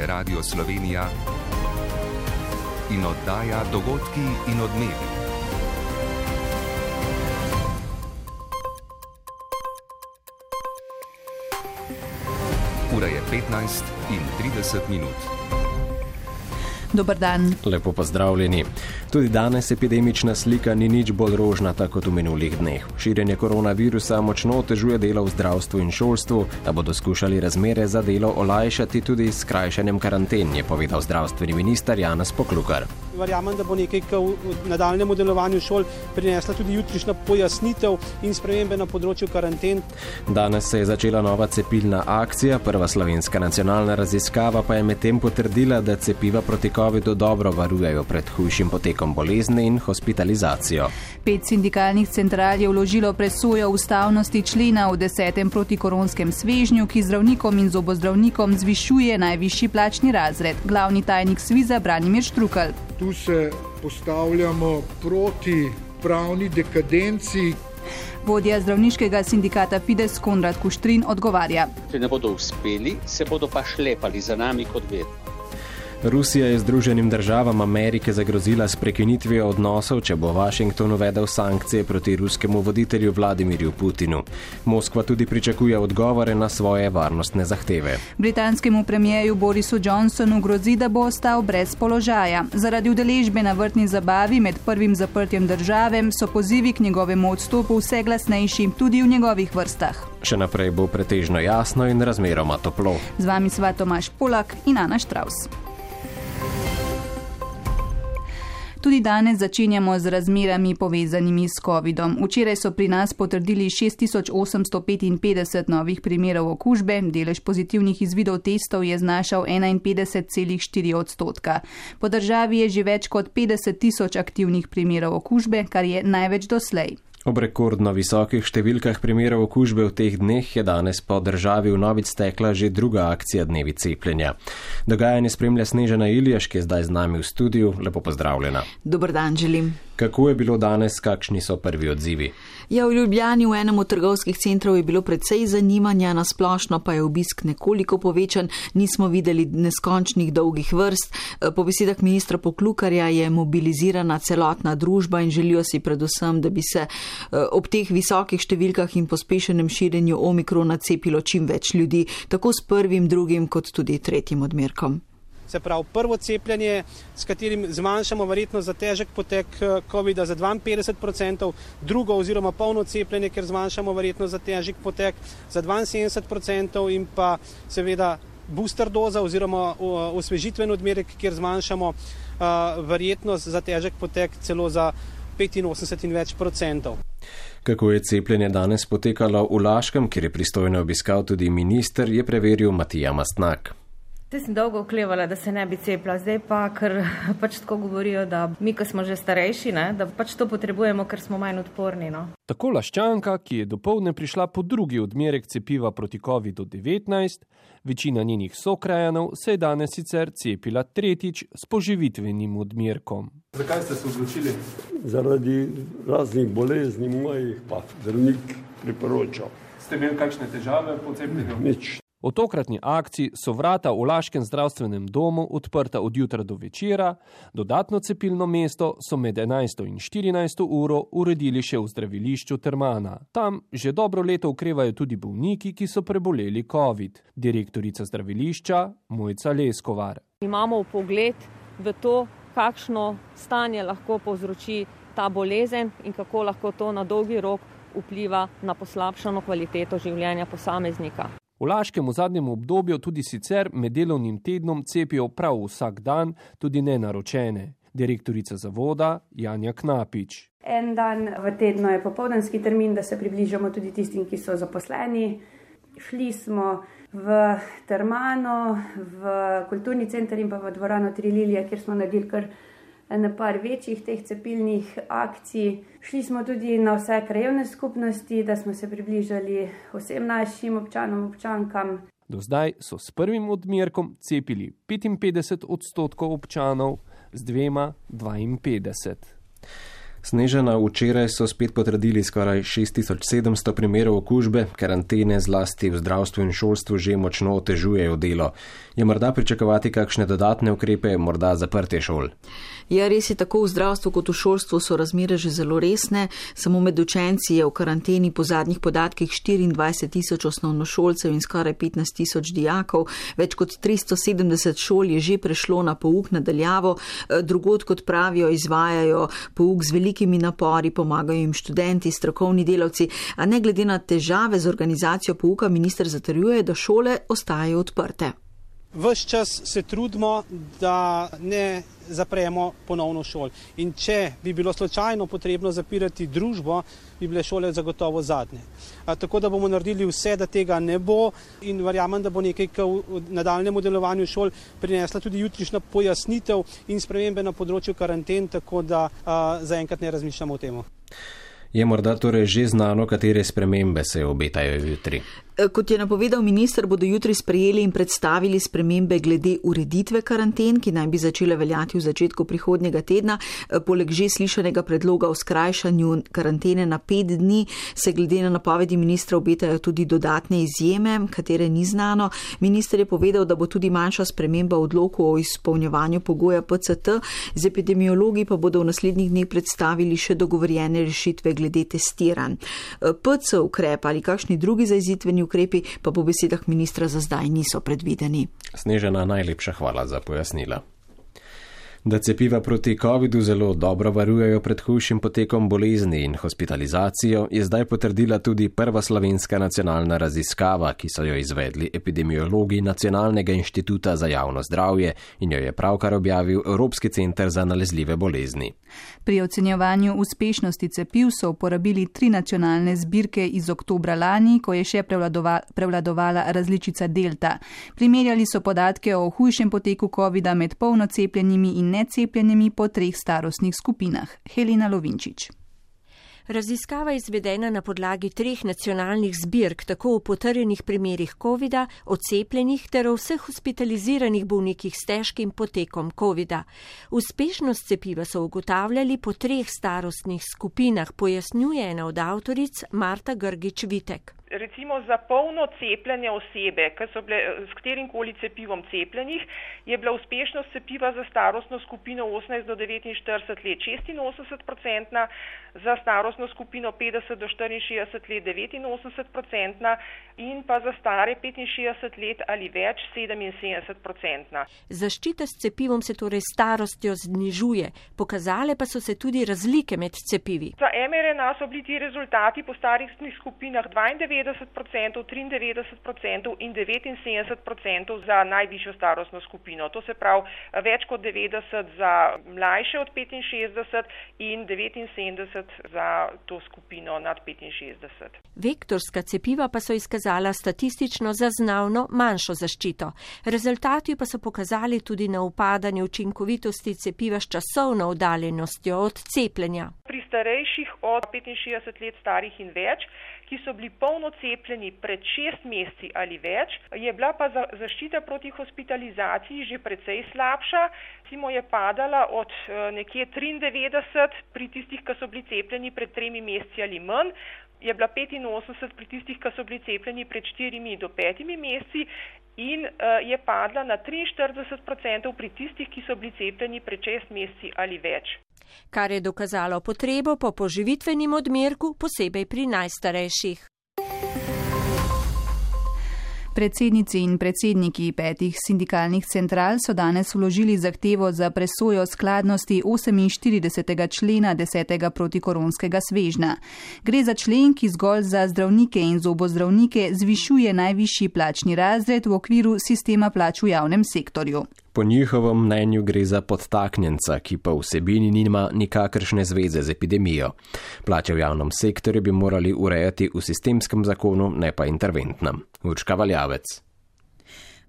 Radio Slovenija in oddaja Dogodki in odmevi. Ura je 15:30. Dober dan. Lepo pozdravljeni. Tudi danes epidemična slika ni nič bolj rožnata kot v minulih dneh. Širjenje koronavirusa močno otežuje delo v zdravstvu in šolstvu, a bodo skušali razmere za delo olajšati tudi s skrajšanjem karanten, je povedal zdravstveni minister Janez Poklukar. Verjamem, da bo nekaj v nadaljnjem delovanju šol prinesla tudi jutrišnja pojasnitev in spremembe na področju karanten. Danes se je začela nova cepilna akcija, prva slovenska nacionalna raziskava pa je medtem potrdila, da cepiva proti covidu dobro varujejo pred hujšim potekom bolezni in hospitalizacijo. 5 sindikalnih central je vložilo presojo ustavnosti člena v 10. protikoronskem svežnju, ki zdravnikom in zobozdravnikom zvišuje najvišji plačni razred. Glavni tajnik Sviza Branimir Štrukelj. Tu se postavljamo proti pravni dekadenci. Vodja zdravniškega sindikata Fides Konrad Kuštrin odgovarja. Če ne bodo uspeli, se bodo pa šlepali za nami kot vedno. Rusija je Združenim državam Amerike zagrozila s prekinitvijo odnosov, če bo Washington uvedel sankcije proti ruskemu voditelju Vladimirju Putinu. Moskva tudi pričakuje odgovore na svoje varnostne zahteve. Britanskemu premijeju Borisu Johnsonu grozi, da bo ostal brez položaja. Zaradi udeležbe na vrtni zabavi med prvim zaprtjem države so pozivi k njegovemu odstopu vse glasnejši, tudi v njegovih vrstah. Še naprej bo pretežno jasno in razmeroma toplo. Z vami sva Tomaž Polak in Ana Štravs. Tudi danes začenjamo z razmerami povezanimi s covidom. Včeraj so pri nas potrdili 6855 novih primerov okužbe, delež pozitivnih izvidov testov je znašal 51,4%. Po državi je že več kot 50 000 aktivnih primerov okužbe, kar je največ doslej. Ob rekordno visokih številkah primerov okužbe v teh dneh je danes po državi vnovič stekla že druga akcija dnevi cepljenja. Dogajanje spremlja Snežana Iljaš, ki je zdaj z nami v studiu. Lepo pozdravljena. Dober dan želim. Kako je bilo danes, kakšni so prvi odzivi? Ja, v Ljubljani v enem od trgovskih centrov je bilo precej zanimanja, na splošno pa je obisk nekoliko povečan, nismo videli neskončnih dolgih vrst. Po besedah ministra Poklukarja je mobilizirana celotna družba in želijo si predvsem, da bi se ob teh visokih številkah in pospešenem širjenju omikrona cepilo čim več ljudi, tako s prvim, drugim kot tudi tretjim odmerkom. Se pravi, prvo cepljenje, s katerim zmanjšamo verjetno za težek potek COVID-a za 52%, drugo oziroma polno cepljenje, ker zmanjšamo verjetno za težek potek za 72% in pa seveda booster doza oziroma osvežitven odmerek, kjer zmanjšamo verjetnost za težek potek celo za 85 in več %. Kako je cepljenje danes potekalo v Laškem, kjer je pristojno obiskal tudi minister, je preveril Matija Mastnak. Te sem dolgo oklevala, da se ne bi cepila, zdaj pa, ker pač tako govorijo, da mi, ko smo že starejši, da pač to potrebujemo, ker smo manj odporni. Tako Laščanka, ki je dopoldne prišla po drugi odmerek cepiva proti COVID-19, večina njenih sokrajanov se je danes sicer cepila tretjič s poživitvenim odmerkom. Zakaj ste se odločili? Zaradi raznih bolezni mojih pa zdravnik priporočal. Ste imeli kakšne težave po cepljenju? Nič. O tokratni akciji so vrata v Laškem zdravstvenem domu odprta od jutra do večera, dodatno cepilno mesto so med 11. in 14. uro uredili še v zdravilišču Termana. Tam že dobro leto okrevajo tudi bolniki, ki so preboleli COVID. Direktorica zdravilišča Mojca Leskovar. Imamo vpogled v to, kakšno stanje lahko povzroči ta bolezen in kako lahko to na dolgi rok vpliva na poslabšano kvaliteto življenja posameznika. V Laškem v zadnjem obdobju tudi sicer med delovnim tednom cepijo prav vsak dan, tudi nenaročene. Direktorica zavoda Janja Knapič. En dan v tednu je popoldanski termin, da se približamo tudi tistim, ki so zaposleni. Šli smo v Termano, v kulturni center in pa v dvorano Tri lilije, kjer smo naredili kar na par večjih teh cepilnih akcij. Šli smo tudi na vse krajevne skupnosti, da smo se približali vsem našim občanom, občankam. Do zdaj so s prvim odmerkom cepili 55% občanov, z dvema 52%. Snežana, včeraj so spet potrdili skoraj 6700 primerov okužbe, karantene zlasti v zdravstvu in šolstvu že močno otežujejo delo. Je morda pričakovati kakšne dodatne ukrepe, morda zaprtje šol? Ja, res je, tako v zdravstvu kot v šolstvu so razmere že zelo resne. Samo med učenci je v karanteni po zadnjih podatkih 24 000 osnovnošolcev in skoraj 15 000 dijakov. Več kot 370 šol je že prešlo na pouk nadaljavo. Drugod, kot pravijo, izvajajo pouk z velikimi napori, pomagajo jim študenti, strokovni delavci, a ne glede na težave z organizacijo pouka, minister zatrjuje, da šole ostajajo odprte. Ves čas se trudimo, da ne zapremo ponovno šol. In če bi bilo slučajno potrebno zapirati družbo, bi bile šole zagotovo zadnje. Tako da bomo naredili vse, da tega ne bo, in verjamem, da bo nekaj v nadaljnjemu delovanju šol prinesla tudi jutrišnja pojasnitev in spremembe na področju karanten, tako da zaenkrat ne razmišljamo o tem. Je morda torej že znano, katere spremembe se obetajo jutri? Kot je napovedal minister, bodo jutri sprejeli in predstavili spremembe glede ureditve karanten, ki naj bi začele veljati v začetku prihodnjega tedna. Poleg že slišanega predloga o skrajšanju karantene na 5 dni se glede na napovedi ministra obetajo tudi dodatne izjeme, katere ni znano. Minister je povedal, da bo tudi manjša sprememba odloku o izpolnjevanju pogoja PCT, z epidemiologi pa bodo v naslednjih dneh predstavili še dogovorjene rešitve glede testiranj. PC ukrep ali kakšni drugi zajezitvenji ukrepi pa po besedah ministra za zdaj niso predvideni. Snežana, najlepša hvala za pojasnila. Da cepiva proti covidu zelo dobro varujejo pred hujšim potekom bolezni in hospitalizacijo, je zdaj potrdila tudi prva slovenska nacionalna raziskava, ki so jo izvedli epidemiologi Nacionalnega inštituta za javno zdravje in jo je pravkar objavil Evropski center za nalezljive bolezni. Pri ocenjevanju uspešnosti cepiv so uporabili 3 nacionalne zbirke iz oktobra lani, ko je še prevladovala različica delta. Primerjali so podatke o hujšem poteku covida med polno cepljenimi in necepljenimi po 3 starostnih skupinah. Helena Lovinčič. Raziskava je izvedena na podlagi 3 nacionalnih zbirk, tako o potrjenih primerih covida, o cepljenih ter o vseh hospitaliziranih bolnikih s težkim potekom covida. Uspešnost cepiva so ugotavljali po 3 starostnih skupinah, pojasnjuje ena od avtoric Marta Grgič-Vitek. Recimo za polno cepljene osebe, ki so bile s katerimkoli cepivom cepljenih, je bila uspešnost cepiva za starostno skupino 18 do 49 let 86%, za starostno skupino 50 do 64 let 89% in pa za stare 65 let ali več 77%. Zaščita s cepivom se torej starostjo znižuje, pokazale pa so se tudi razlike med cepivi. Za mRNA so bili ti rezultati po starostnih skupinah 92%, 93% in 79% za najvišjo starostno skupino. To se pravi več kot 90 za mlajše od 65 in 79 za to skupino nad 65. Vektorska cepiva pa so izkazala statistično zaznavno manjšo zaščito. Rezultati pa so pokazali tudi na upadanje učinkovitosti cepiva s časovno oddaljenostjo od cepljenja. Pri starejših od 65 let starih in več, ki so bili polno cepljeni pred 6 meseci ali več, je bila pa zaščita proti hospitalizaciji že precej slabša. Recimo je padala od nekje 93 pri tistih, ki so bili cepljeni pred 3 meseci ali manj, je bila 85 pri tistih, ki so bili cepljeni pred 4 do 5 meseci in je padla na 43% pri tistih, ki so bili cepljeni pred 6 meseci ali več. Kar je dokazalo potrebo po poživitvenem odmerku, posebej pri najstarejših. Predsednici in predsedniki 5 sindikalnih central so danes vložili zahtevo za presojo skladnosti 48. člena 10. protikoronskega svežnja. Gre za člen, ki zgolj za zdravnike in zobozdravnike zvišuje najvišji plačni razred v okviru sistema plač v javnem sektorju. Po njihovem mnenju gre za podtaknjenca, ki pa vsebini nima nikakršne zveze z epidemijo. Plače v javnem sektorju bi morali urejati v sistemskem zakonu, ne pa interventnem. Urška Valjavec.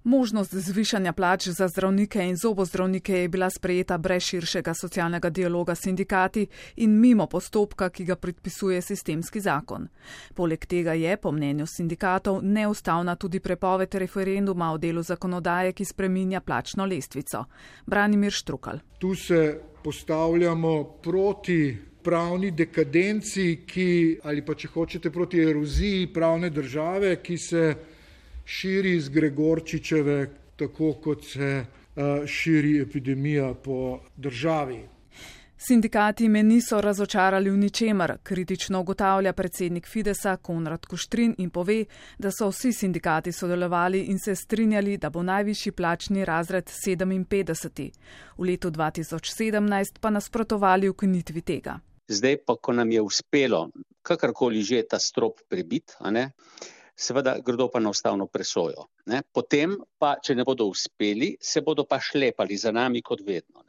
Možnost zvišanja plač za zdravnike in zobozdravnike je bila sprejeta brez širšega socialnega dialoga s sindikati in mimo postopka, ki ga predpisuje sistemski zakon. Poleg tega je, po mnenju sindikatov, neustavna tudi prepoved referenduma o delu zakonodaje, ki spreminja plačno lestvico. Branimir Štrukal. Tu se postavljamo proti pravni dekadenci, ali pa če hočete proti eroziji pravne države, ki se širi iz Gregorčičeve, tako kot se širi epidemija po državi. Sindikati me niso razočarali v ničemer, kritično ugotavlja predsednik Fidesa Konrad Kuštrin in pove, da so vsi sindikati sodelovali in se strinjali, da bo najvišji plačni razred 57. V letu 2017 pa nasprotovali ukinitvi tega. Zdaj pa, ko nam je uspelo kakorkoli že ta strop prebiti, seveda gredo pa na ustavno presojo. Potem pa, če ne bodo uspeli, se bodo pa šlepali za nami kot vedno.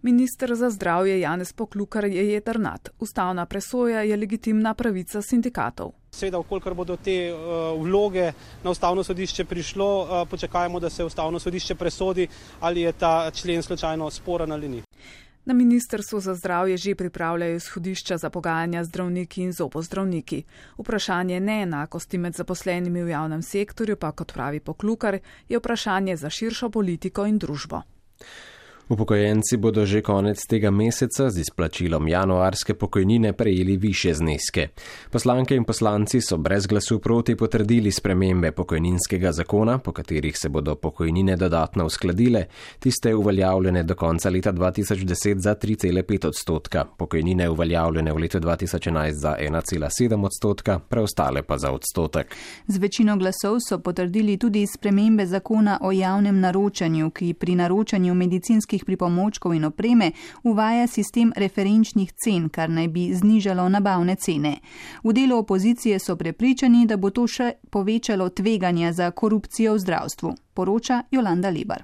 Minister za zdravje Janez Poklukar je jedrnat. Ustavna presoja je legitimna pravica sindikatov. Seveda, vkolikor bodo te vloge na ustavno sodišče prišlo, počakajmo, da se ustavno sodišče presodi, ali je ta člen slučajno sporen ali ni. Na Ministrstvu za zdravje že pripravljajo izhodišča za pogajanja z zdravniki in zobozdravniki. Vprašanje neenakosti med zaposlenimi v javnem sektorju pa, kot pravi Poklukar, je vprašanje za širšo politiko in družbo. Upokojenci bodo že konec tega meseca z izplačilom januarske pokojnine prejeli višje zneske. Poslanke in poslanci so brez glasu proti potrdili spremembe pokojninskega zakona, po katerih se bodo pokojnine dodatno uskladile, tiste uveljavljene do konca leta 2010 za 3,5%, pokojnine uveljavljene v letu 2011 za 1,7%, preostale pa za odstotek. Z večino glasov so potrdili tudi spremembe zakona o javnem naročanju, ki pri naročanju medicinskih pripomočkov in opreme uvaja sistem referenčnih cen, kar naj bi znižalo nabavne cene. V delu opozicije so prepričani, da bo to še povečalo tveganja za korupcijo v zdravstvu, poroča Jolanda Lebar.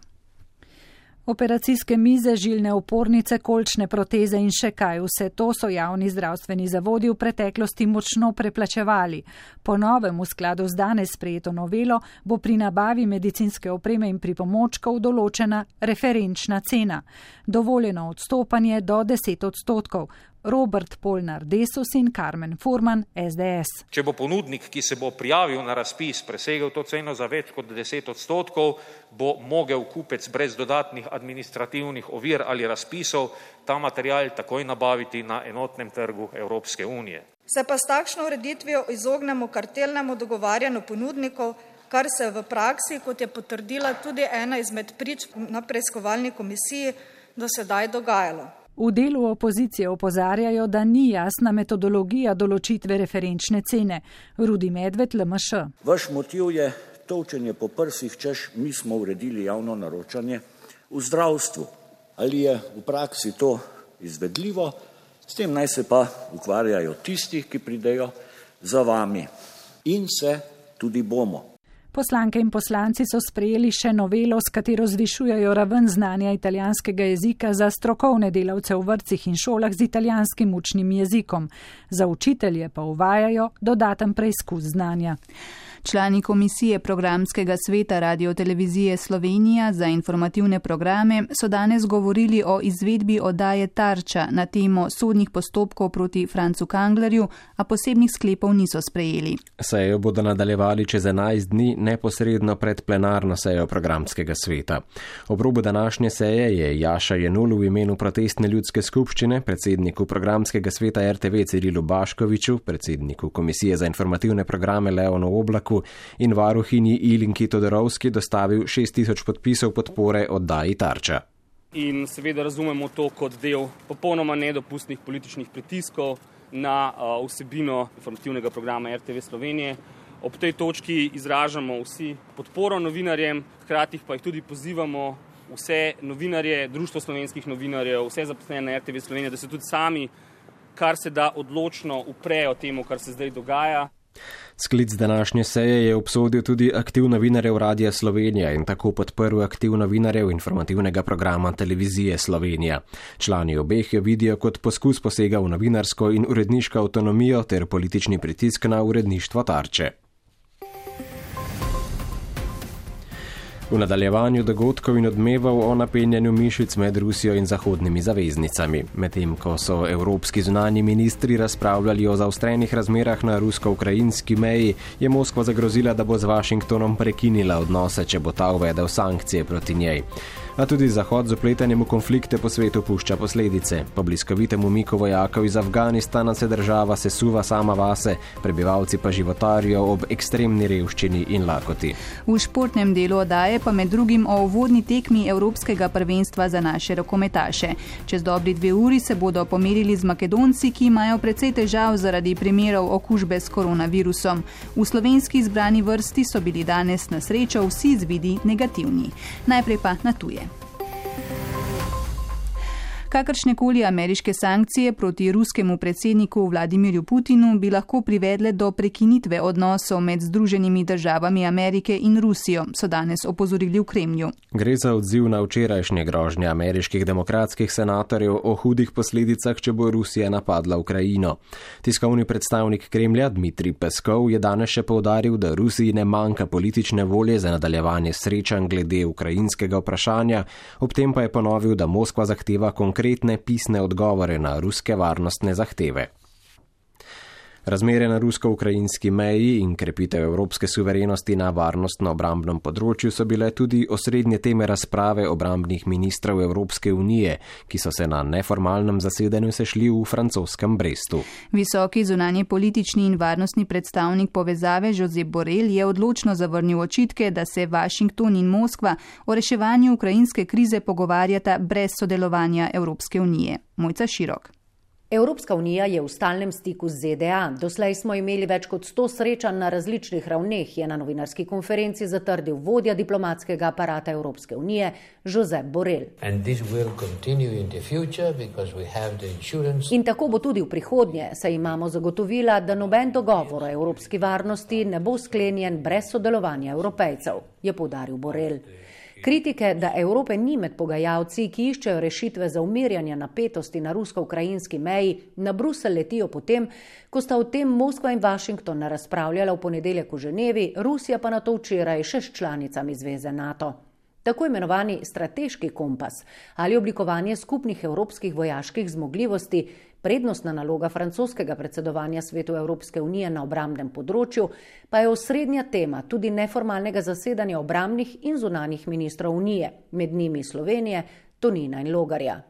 Operacijske mize, žilne opornice, kolčne proteze in še kaj, vse to so javni zdravstveni zavodi v preteklosti močno preplačevali. Po novem, v skladu z danes sprejeto novelo, bo pri nabavi medicinske opreme in pripomočkov določena referenčna cena. Dovoljeno odstopanje do 10%. Robert Polnar, Desus in Karmen Furman, SDS. Če bo ponudnik, ki se bo prijavil na razpis, presegel to ceno za več kot 10%, bo mogel kupec brez dodatnih administrativnih ovir ali razpisov ta material takoj nabaviti na enotnem trgu Evropske unije. Se pa s takšno ureditvijo izognemo kartelnemu dogovarjanju ponudnikov, kar se v praksi, kot je potrdila tudi ena izmed prič na preiskovalni komisiji, do sedaj dogajalo. V delu opozicije opozarjajo, da ni jasna metodologija določitve referenčne cene. Rudi Medved, LMŠ. Vaš motiv je tolčenje po prsih, češ mi smo uredili javno naročanje v zdravstvu. Ali je v praksi to izvedljivo? S tem naj se pa ukvarjajo tisti, ki pridejo za vami. In se tudi bomo. Poslanke in poslanci so sprejeli še novelo, s katero zvišujejo raven znanja italijanskega jezika za strokovne delavce v vrtcih in šolah z italijanskim učnim jezikom. Za učitelje pa uvajajo dodaten preizkus znanja. Člani komisije programskega sveta Radiotelevizije Slovenija za informativne programe so danes govorili o izvedbi oddaje Tarča na temo sodnih postopkov proti Francu Kanglerju, a posebnih sklepov niso sprejeli. Sejo bodo nadaljevali čez 11 dni neposredno pred plenarno sejo programskega sveta. Ob robu današnje seje je Jaša Jenul v imenu protestne ljudske skupščine, predsedniku programskega sveta RTV Cirilu Baškoviču, predsedniku komisije za informativne programe Leonu Oblaku in varuhinji Ilinki Todorovski dostavil 6000 podpisov podpore oddaji Tarča. In seveda razumemo to kot del popolnoma nedopustnih političnih pritiskov na vsebino informativnega programa RTV Slovenije. Ob tej točki izražamo vsi podporo novinarjem, hkrati pa jih tudi pozivamo vse novinarje, Društvo slovenskih novinarjev, vse zaposlene na RTV Slovenije, da se tudi sami kar se da odločno uprejo temu, kar se zdaj dogaja. Sklic današnje seje je obsodil tudi aktiv novinarjev Radia Slovenija in tako podprl aktiv novinarjev informativnega programa Televizije Slovenija. Člani obeh jo vidijo kot poskus posega v novinarsko in uredniško avtonomijo ter politični pritisk na uredništvo Tarče. V nadaljevanju dogodkov in odmevov o napenjanju mišic med Rusijo in zahodnimi zaveznicami. Medtem ko so evropski zunanji ministri razpravljali o zaostrenih razmerah na rusko-ukrajinski meji, je Moskva zagrozila, da bo z Washingtonom prekinila odnose, če bo ta uvedel sankcije proti njej. A tudi Zahod z vpletanjem v konflikte po svetu pušča posledice. Po bliskovitem umiku vojakov iz Afganistana se država sesuva sama vase, prebivalci pa životarijo ob ekstremni revščini in lakoti. V športnem delu oddaje pa med drugim o uvodni tekmi Evropskega prvenstva za naše rokometaše. Čez dobri 2 uri se bodo pomerili z Makedonci, ki imajo precej težav zaradi primerov okužbe s koronavirusom. V slovenski izbrani vrsti so bili danes na srečo vsi izvidi negativni. Najprej pa na tuje. Kakršnekoli ameriške sankcije proti ruskemu predsedniku Vladimirju Putinu bi lahko privedle do prekinitve odnosov med Združenimi državami Amerike in Rusijo, so danes opozorili v Kremlju. Gre za odziv na včerajšnje grožnje ameriških demokratskih senatorjev o hudih posledicah, če bo Rusija napadla Ukrajino. Tiskovni predstavnik Kremlja Dmitrij Peskov je danes še poudaril, da Rusiji ne manjka politične volje za nadaljevanje srečanj glede ukrajinskega vprašanja, ob tem pa je ponovil, da Moskva zahteva konkretne pisne odgovore na ruske varnostne zahteve. Razmere na rusko-ukrajinski meji in krepitev evropske suverenosti na varnostno-obrambnem področju so bile tudi osrednje teme razprave obrambnih ministrov Evropske unije, ki so se na neformalnem zasedanju sešli v francoskem Brestu. Visoki zunanji politični in varnostni predstavnik povezave Josep Borrell je odločno zavrnil očitke, da se Washington in Moskva o reševanju ukrajinske krize pogovarjata brez sodelovanja Evropske unije. Mojca Širok. Evropska unija je v stalnem stiku z ZDA. Doslej smo imeli več kot 100 srečanj na različnih ravneh, je na novinarski konferenci zatrdil vodja diplomatskega aparata Evropske unije Josep Borrell. In tako bo tudi v prihodnje, saj imamo zagotovila, da noben dogovor o evropski varnosti ne bo sklenjen brez sodelovanja Evropejcev, je poudaril Borrell. Kritike, da Evrope ni med pogajalci, ki iščejo rešitve za umirjanje napetosti na rusko-ukrajinski meji, na Bruselj letijo potem, ko sta o tem Moskva in Washington razpravljala v ponedeljek v Ženevi, Rusija pa na to včeraj še s članicami zveze NATO. Tako imenovani strateški kompas ali oblikovanje skupnih evropskih vojaških zmogljivosti, prednostna naloga francoskega predsedovanja Svetu Evropske unije na obrambnem področju, pa je osrednja tema tudi neformalnega zasedanja obrambnih in zunanjih ministrov unije, med njimi Slovenije, Tonina in Logarja.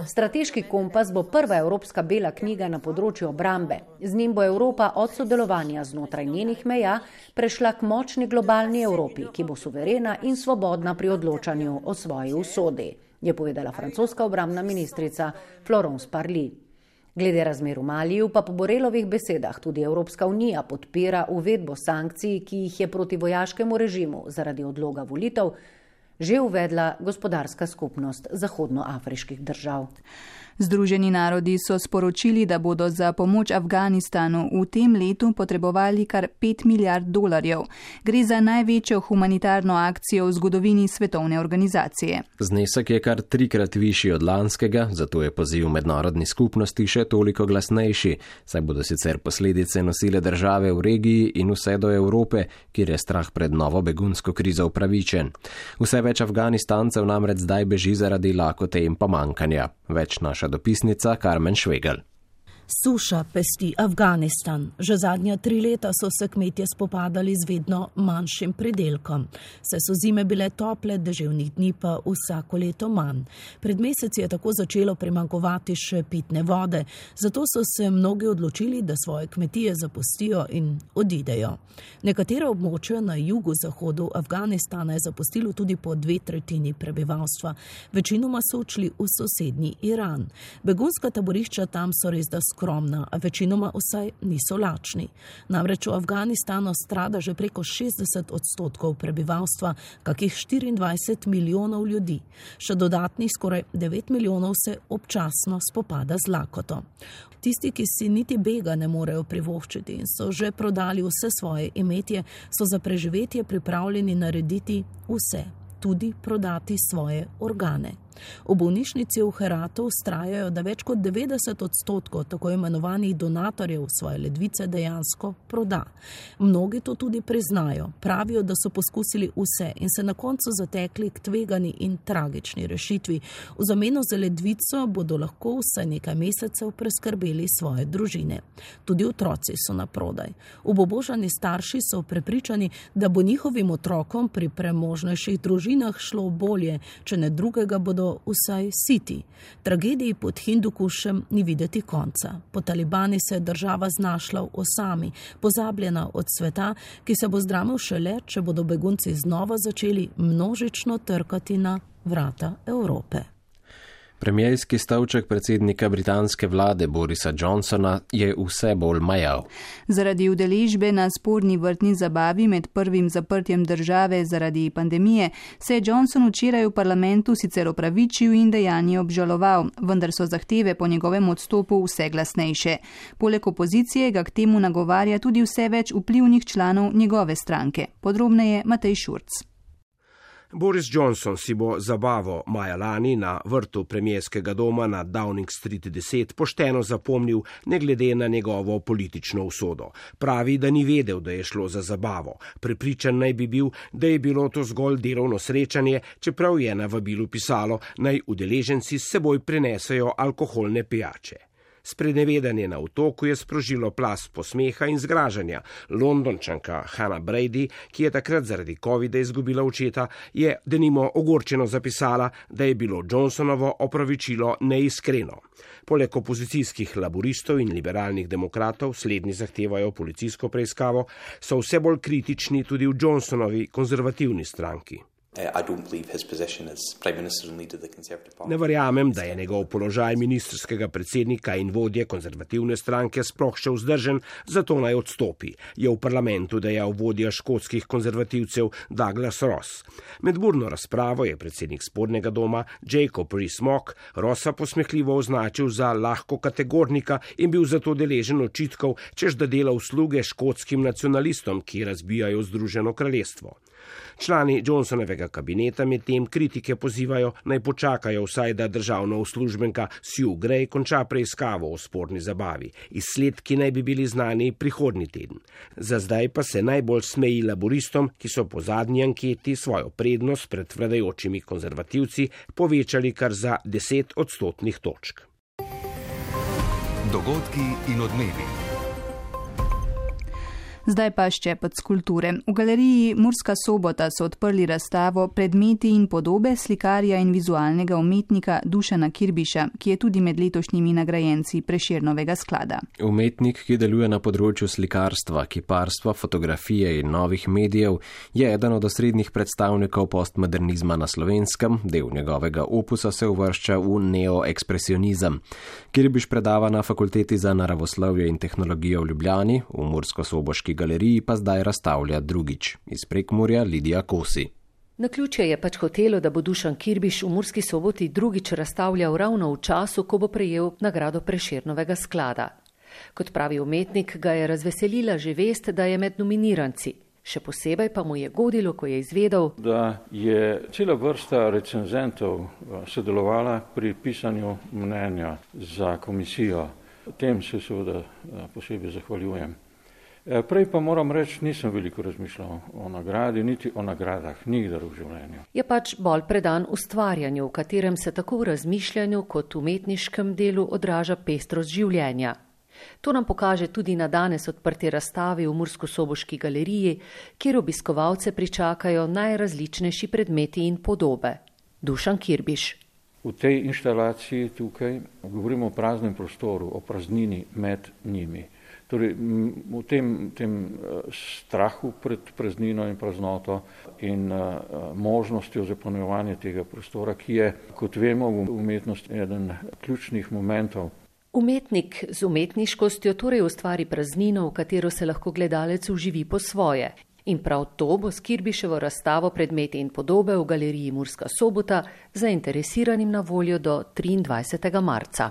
Strateški kompas bo prva evropska bela knjiga na področju obrambe. Z njim bo Evropa od sodelovanja znotraj njenih meja prešla k močni globalni Evropi, ki bo suverena in svobodna pri odločanju o svoji usodi, je povedala francoska obrambna ministrica Florence Parly. Glede razmer v Maliju pa po Borrelovih besedah tudi Evropska unija podpira uvedbo sankcij, ki jih je proti vojaškemu režimu zaradi odloga volitev že uvedla gospodarska skupnost zahodnoafriških držav. Združeni narodi so sporočili, da bodo za pomoč Afganistanu v tem letu potrebovali kar $5 milijard. Gre za največjo humanitarno akcijo v zgodovini svetovne organizacije. Znesek je kar 3-krat višji od lanskega, zato je poziv mednarodni skupnosti še toliko glasnejši, saj bodo sicer posledice nosile države v regiji in vse do Evrope, kjer je strah pred novo begunsko krizo upravičen. Vse več Afganistancev namreč zdaj beži zaradi lakote in pomankanja. Več naša dopisnica Karmen Švegel. Suša pesti Afganistan. Že zadnja 3 leta so se kmetje spopadali z vedno manjšim pridelkom. Saj so zime bile tople, deževnih dni pa vsako leto manj. Pred meseci je tako začelo primanjkovati še pitne vode, zato so se mnogi odločili, da svoje kmetije zapustijo in odidejo. Nekatera območja na jugu-zahodu Afganistana je zapustilo tudi po 2/3 prebivalstva. Večinoma so odšli v sosednji Iran. Begunska taborišča tam so res da skromna, a večinoma vsaj niso lačni. Namreč v Afganistanu strada že preko 60% prebivalstva, kakih 24 milijonov ljudi. Še dodatnih skoraj 9 milijonov se občasno spopada z lakoto. Tisti, ki si niti bega ne morejo privoščiti in so že prodali vse svoje imetje, so za preživetje pripravljeni narediti vse, tudi prodati svoje organe. V bolnišnici v Heratu vztrajajo, da več kot 90% tako imenovanih donatorjev svoje ledvice dejansko proda. Mnogi to tudi priznajo. Pravijo, da so poskusili vse in se na koncu zatekli k tvegani in tragični rešitvi. V zameno za ledvico bodo lahko vsaj nekaj mesecev preskrbeli svoje družine. Tudi otroci so na prodaj. Obubožani starši so prepričani, da bo njihovim otrokom pri premožnejših družinah šlo bolje, če ne drugega bodo vsaj siti. Tragediji pod Hindukušem ni videti konca. Po Talibani se je država znašla v osami, pozabljena od sveta, ki se bo zdramil šele, če bodo begunci znova začeli množično trkati na vrata Evrope. Premierski stavček predsednika britanske vlade Borisa Johnsona je vse bolj majav. Zaradi udeležbe na sporni vrtni zabavi med prvim zaprtjem države zaradi pandemije se je Johnson včeraj v parlamentu sicer opravičil in dejanje obžaloval, vendar so zahteve po njegovem odstopu vse glasnejše. Poleg opozicije ga k temu nagovarja tudi vse več vplivnih članov njegove stranke. Podrobneje Matej Šurc. Boris Johnson si bo zabavo maja lani na vrtu premierskega doma na Downing Street 10 pošteno zapomnil, ne glede na njegovo politično usodo. Pravi, da ni vedel, da je šlo za zabavo. Prepričan naj bi bil, da je bilo to zgolj delovno srečanje, čeprav je na vabilu pisalo, naj udeleženci s seboj prinesejo alkoholne pijače. Sprenevedanje na otoku je sprožilo plaz posmeha in zgražanja. Londončanka Hannah Brady, ki je takrat zaradi covida izgubila očeta, je denimo ogorčeno zapisala, da je bilo Johnsonovo opravičilo neiskreno. Poleg opozicijskih laboristov in liberalnih demokratov, slednji zahtevajo policijsko preiskavo, so vse bolj kritični tudi v Johnsonovi konzervativni stranki. Ne verjamem, da je njegov položaj ministrskega predsednika in vodje konzervativne stranke sploh še vzdržen, zato naj odstopi, je v parlamentu dejal vodja škotskih konzervativcev Douglas Ross. Med burno razpravo je predsednik spodnjega doma Jacob Rees-Mogg Rossa posmehljivo označil za lahko kategornika in bil zato deležen očitkov, češ da dela usluge škotskim nacionalistom, ki razbijajo Združeno kraljestvo. Člani Johnsonovega kabineta med tem kritike pozivajo, naj počakajo vsaj, da državna uslužbenka Sue Gray konča preiskavo o sporni zabavi. Izsledki naj bi bili znani prihodnji teden. Za zdaj pa se najbolj smeji laboristom, ki so po zadnji anketi svojo prednost pred vladajočimi konzervativci povečali kar za 10 odstotnih točk. Dogodki in odmevi. Zdaj pa ščepec kulture. V galeriji Murska Sobota so odprli razstavo Predmeti in podobe slikarja in vizualnega umetnika Dušana Kirbiša, ki je tudi med letošnjimi nagrajenci Prešernovega sklada. Umetnik, ki deluje na področju slikarstva, kiparstva, fotografije in novih medijev, je eden od osrednjih predstavnikov postmodernizma na Slovenskem, del njegovega opusa se uvršča v neoekspresionizem. Kirbiš predava na Fakulteti za naravoslovje in tehnologijo v Ljubljani, v Mursko-Soboški galeriji pa zdaj razstavlja drugič. Iz Prekmurja Lidija Kosi. Naključje je pač hotelo, da bo Dušan Kirbiš v Murski Soboti drugič razstavljal ravno v času, ko bo prejel nagrado Prešernovega sklada. Kot pravi umetnik, ga je razveselila že vest, da je med nominiranci. Še posebej pa mu je godilo, ko je izvedel, da je cela vrsta recenzentov sodelovala pri pisanju mnenja za komisijo. Tem se seveda posebej zahvaljujem. Prej pa moram reči, nisem veliko razmišljal o nagradi, niti o nagradah, nikdar v življenju. Je pač bolj predan ustvarjanju, v katerem se tako v razmišljanju kot v umetniškem delu odraža pestrost življenja. To nam pokaže tudi na danes odprti razstavi v Mursko-Soboški galeriji, kjer obiskovalce pričakajo najrazličnejši predmeti in podobe. Dušan Kirbiš. V tej inštalaciji tukaj govorimo o praznem prostoru, o praznini med njimi. Torej, v tem strahu pred praznino in praznoto in možnostjo zapolnjevanja tega prostora, ki je, kot vemo, v umetnosti eden ključnih momentov. Umetnik z umetniškostjo torej ustvari praznino, v katero se lahko gledalec vživi po svoje. In prav to bo s Kirbiševo razstavo Predmeti in podobe v galeriji Murska Sobota zainteresiranim na voljo do 23. marca.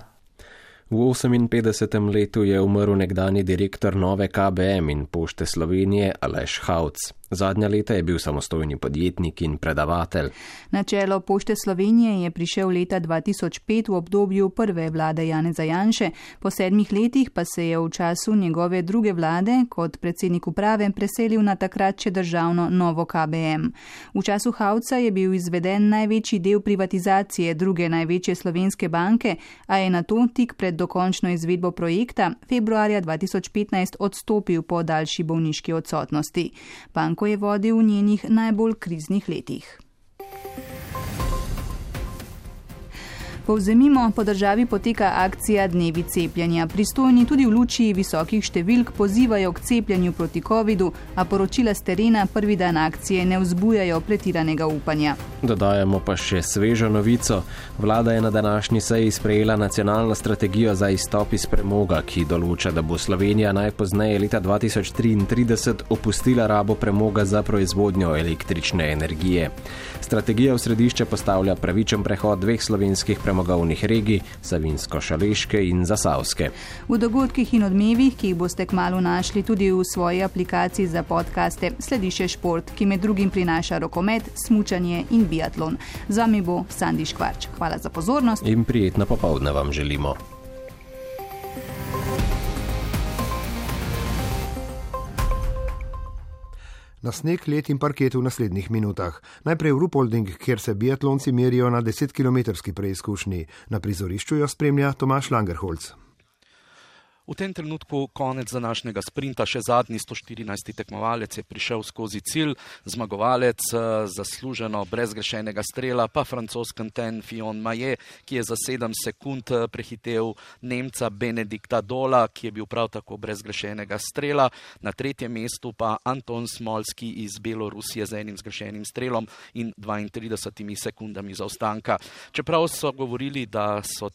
V 58. letu je umrl nekdani direktor Nove KBM in Pošte Slovenije Aleš Hauc. Zadnja leta je bil samostojni podjetnik in predavatelj. Na čelo Pošte Slovenije je prišel leta 2005 v obdobju prve vlade Janeza Janše, po 7 letih pa se je v času njegove druge vlade kot predsednik uprave preselil na takrat še državno Novo KBM. V času Hauca je bil izveden največji del privatizacije druge največje slovenske banke, a je nato tik pred dokončno izvedbo projekta februarja 2015 odstopil po daljši bolniški odsotnosti. Banko je vodil v njenih najbolj kriznih letih. Povzemimo, po državi poteka akcija Dnevi cepljenja. Pristojni tudi v luči visokih številk pozivajo k cepljenju proti covidu, a poročila s terena prvi dan akcije ne vzbujajo pretiranega upanja. Dodajamo pa še svežo novico. Vlada je na današnji seji sprejela nacionalno strategijo za izstop iz premoga, ki določa, da bo Slovenija najpozneje leta 2033 opustila rabo premoga za proizvodnjo električne energije. Strategija v središče postavlja pravičen prehod 2 slovenskih premogovnih regij, Savinjsko-Šaleške in Zasavske. V dogodkih in odmevih, ki jih boste kmalu našli tudi v svoji aplikaciji za podcaste, sledi še šport, ki med drugim prinaša rokomet, smučanje in biatlon. Z vami bo Sandi Škvarč. Hvala za pozornost. In prijetno popoldne vam želimo. Na sneg, led in parket v naslednjih minutah. Najprej v Rupolding, kjer se biatlonci merijo na 10-kilometrski preizkušnji. Na prizorišču jo spremlja Tomaž Langerholz. V tem trenutku konec današnjega sprinta, še zadnji 114. tekmovalec je prišel skozi cilj, zmagovalec zasluženo brez grešenega strela, pa francoz Quentin Fillon-Maillet, ki je za 7 sekund prehitev Nemca Benedikta Dola, ki je bil prav tako brez grešenega strela. Na 3. mestu pa Anton Smolski iz Belorusije z 1 zgrešenim strelom in 32 sekundami zaostanka. Čeprav so govorili, da so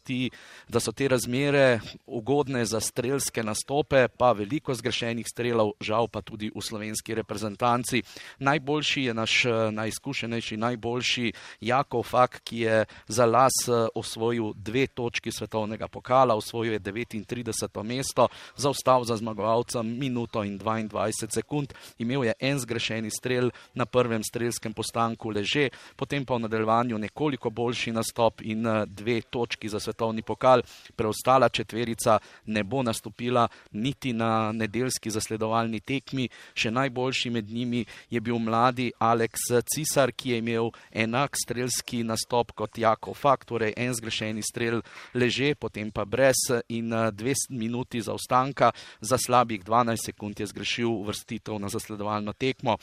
te razmere ugodne za strelske nastope, pa veliko zgrešenih strelov, žal pa tudi v slovenski reprezentanci. Najboljši je naš najizkušenejši, najboljši Jakov Fak, ki je za las osvojil 2 točki svetovnega pokala, osvojil je 39. mesto, zaostal za zmagovalcem minuto in 22 sekund, imel je 1 zgrešeni strel na prvem strelskem postanku Leže, potem pa v nadaljevanju nekoliko boljši nastop in 2 točki za svetovni pokal. Preostala četverica ne bo nastopila niti na nedeljski zasledovalni tekmi. Še najboljši med njimi je bil mladi Alex Cisar, ki je imel enak strelski nastop kot Jakov Fak, torej 1 zgrešeni strel Leže, potem pa brez in 2 minuti zaostanka. Za slabih 12 sekund je zgrešil uvrstitev na zasledovalno tekmo.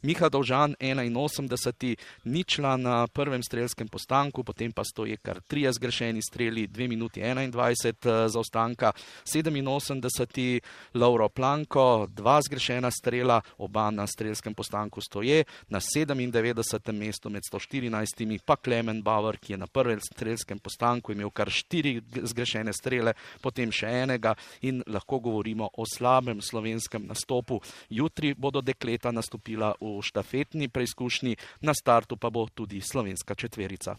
Miha Dovžan 81, ničla na prvem strelskem postanku, potem pa stoje kar 3 zgrešeni streli, 2 minuti 21 zaostanka. 87. Lauro Planko, 2 zgrešena strela, oba na strelskem postanku stoje. Na 97. mestu med 114. pa Klemen Bauer, ki je na prvem strelskem postanku imel kar 4 zgrešene strele, potem še enega in lahko govorimo o slabem slovenskem nastopu. Jutri bodo dekleta nastopila v štafetni preizkušnji, na startu pa bo tudi slovenska četverica.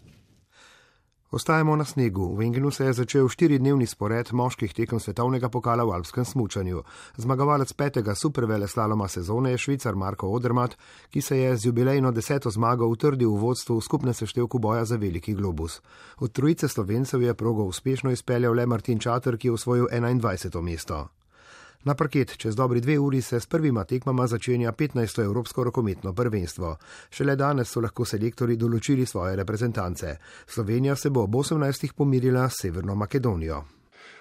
Ostajamo na snegu. V Engenu se je začel 4-dnevni spored moških tekem svetovnega pokala v alpskem smučanju. Zmagovalec 5. superveleslaloma sezone je Švicar Marko Odermatt, ki se je z jubilejno 10. zmago utrdil v vodstvu v skupnem seštevku boja za veliki globus. Od trojice Slovencev je progo uspešno izpeljal le Martin Čater, ki je osvojil 21. mesto. Na parket čez dobri 2 uri se s prvima tekmama začenja 15. evropsko rokometno prvenstvo. Šele danes so lahko selektorji določili svoje reprezentance. Slovenija se bo ob 18. pomirila s Severno Makedonijo.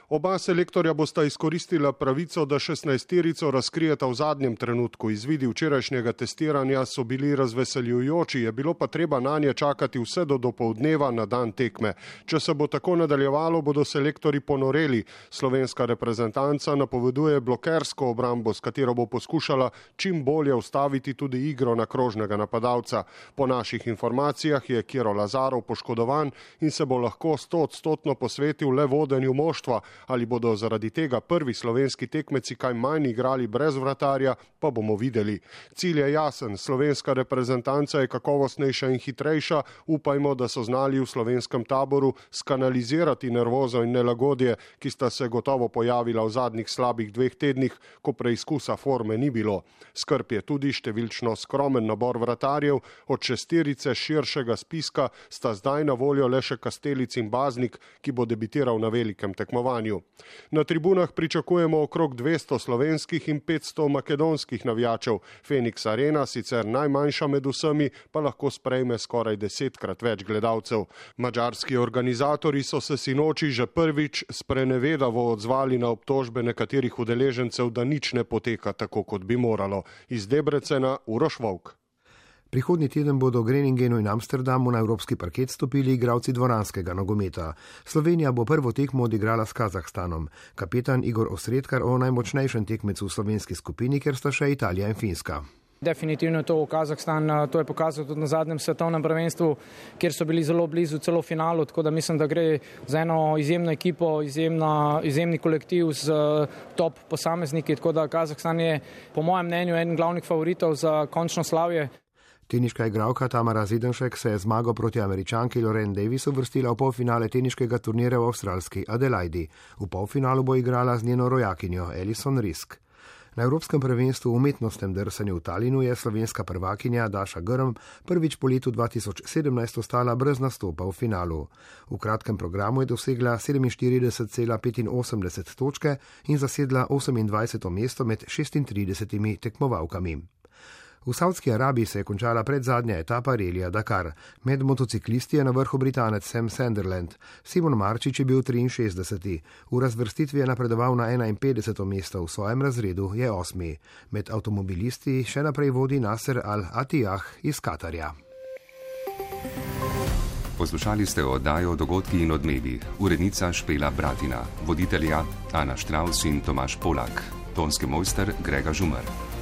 Oba selektorja bosta izkoristila pravico, da 16-terico razkrijeta v zadnjem trenutku. Izvidi včerajšnjega testiranja so bili razveseljujoči, je bilo pa treba nanje čakati vse do dopoldneva na dan tekme. Če se bo tako nadaljevalo, bodo selektorji ponoreli. Slovenska reprezentanca napoveduje blokersko obrambo, s katero bo poskušala čim bolje ustaviti tudi igro na krožnega napadalca. Po naših informacijah je Kiro Lazarov poškodovan in se bo lahko 100% posvetil le vodenju moštva. Ali bodo zaradi tega prvi slovenski tekmeci kaj manj igrali brez vratarja, pa bomo videli. Cilj je jasen, slovenska reprezentanca je kakovostnejša in hitrejša, upajmo, da so znali v slovenskem taboru skanalizirati nervozo in nelagodje, ki sta se gotovo pojavila v zadnjih slabih 2 tednih, ko preizkusa forme ni bilo. Skrb je tudi številčno skromen nabor vratarjev, od 6 širšega spiska sta zdaj na voljo le še Kastelic in Baznik, ki bo debitiral na velikem tekmovanju. Na tribunah pričakujemo okrog 200 slovenskih in 500 makedonskih navijačev. Phoenix Arena, sicer najmanjša med vsemi, pa lahko sprejme skoraj 10-krat več gledalcev. Madžarski organizatorji so se sinoči že prvič sprenevedavo odzvali na obtožbe nekaterih udeležencev, da nič ne poteka tako, kot bi moralo. Iz Debrecena Uroš Volk. Prihodnji teden bodo v Greningenu in Amsterdamu na evropski parket stopili igralci dvoranskega nogometa. Slovenija bo prvo tekmo odigrala s Kazahstanom. Kapetan Igor Osredkar o najmočnejšem tekmecu v slovenski skupini, ker sta še Italija in Finska. Definitivno je to Kazahstan, to je pokazal tudi na zadnjem svetovnem prvenstvu, kjer so bili zelo blizu celo finalu, tako da mislim, da gre za eno izjemno ekipo, izjemni kolektiv z top posamezniki, tako da Kazahstan je po mojem mnenju eden glavnih favoritov za končno slavje. Teniška igralka Tamara Zidanšek se je zmago proti Američanki Lauren Davis uvrstila v polfinale teniškega turnirja v avstralski Adelaidi. V polfinalu bo igrala z njeno rojakinjo Alison Risk. Na Evropskem prvenstvu v umetnostnem drsanju v Talinu je slovenska prvakinja Daša Grm prvič po letu 2017 ostala brez nastopa v finalu. V kratkem programu je dosegla 47,85 točke in zasedla 28. mesto med 36 tekmovalkami. V Saudski Arabiji se je končala predzadnja etapa relija Dakar. Med motociklisti je na vrhu Britanec Sam Sunderland. Simon Marčič je bil 63. V razvrstitvi je napredoval na 51. mesto, v svojem razredu je 8. Med avtomobilisti še naprej vodi Nasser Al-Attiyah iz Katarja. Poslušali ste oddajo Dogodki in odmevi. Urednica Špela Bratina, voditelja Ana Štravs in Tomaž Polak, tonski mojster Grega Žumar.